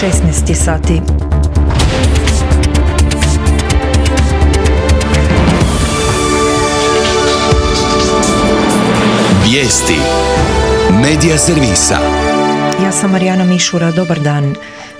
16 sati. Vijesti Medija servisa. Ja sam Marijana Mišura, dobar dan.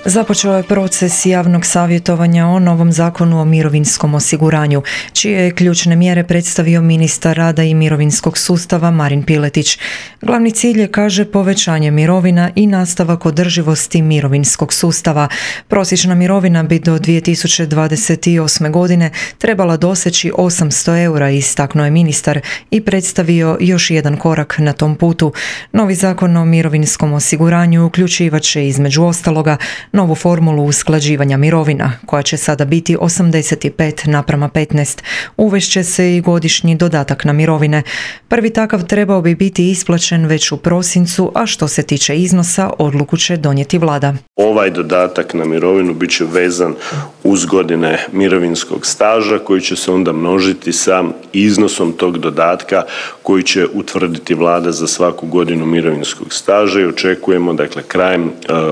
Započeo je proces javnog savjetovanja o novom zakonu o mirovinskom osiguranju, čije je ključne mjere predstavio ministar rada i mirovinskog sustava Marin Piletić. Glavni cilj je, kaže, povećanje mirovina i nastavak održivosti mirovinskog sustava. Prosječna mirovina bi do 2028. godine trebala doseći 800 eura, istaknuo je ministar i predstavio još jedan korak na tom putu. Novi zakon o mirovinskom osiguranju uključivat će između ostaloga novu formulu usklađivanja mirovina, koja će sada biti 85:15. Uvešće se i godišnji dodatak na mirovine. Prvi takav trebao bi biti isplaćen već u prosincu, a što se tiče iznosa, odluku će donijeti vlada. Ovaj dodatak na mirovinu bit će vezan uz godine mirovinskog staža koji će se onda množiti sa iznosom tog dodatka koji će utvrditi vlada za svaku godinu mirovinskog staža i očekujemo, dakle, krajem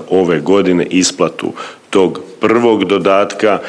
ove godine isplatu tog prvog dodatka.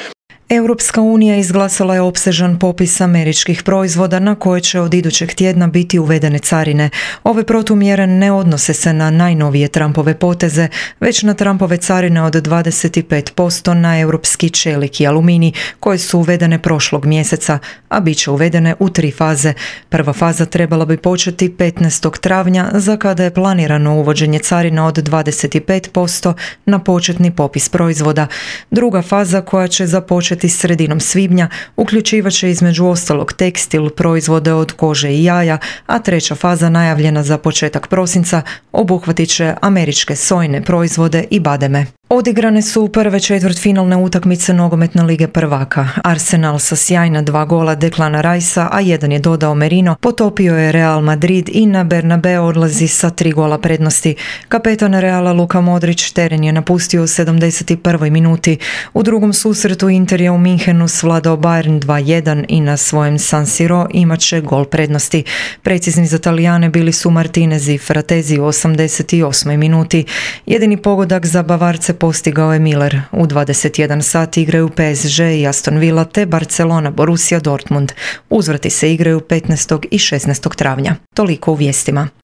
Europska unija izglasala je opsežan popis američkih proizvoda na koje će od idućeg tjedna biti uvedene carine. Ove protumjere ne odnose se na najnovije Trumpove poteze, već na Trumpove carine od 25% na europski čelik i aluminij, koje su uvedene prošlog mjeseca, a bit će uvedene u 3 faze. Prva faza trebala bi početi 15. travnja, za kada je planirano uvođenje carina od 25% na početni popis proizvoda. Druga faza, koja će započeti sredinom svibnja, uključivat će između ostalog tekstil, proizvode od kože i jaja, a treća faza, najavljena za početak prosinca, obuhvatit će američke sojne proizvode i bademe. Odigrane su prve četvrtfinalne utakmice nogometne lige prvaka. Arsenal sa sjajna 2 gola Declana Ricea, a 1 je dodao Merino, potopio je Real Madrid i na Bernabeu odlazi sa 3 gola prednosti. Kapetan Reala Luka Modrić teren je napustio u 71. minuti. U drugom susretu Inter je u Minhenu svladao Bayern 2:1 i na svojem San Siro imat će gol prednosti. Precizni za Talijane bili su Martinez i Fratezi u 88. minuti. Jedini pogodak za Bavarce postigao je Miller. U 21 sati igraju PSG i Aston Villa te Barcelona Borussia Dortmund. Uzvrati se igraju 15. i 16. travnja. Toliko u vijestima.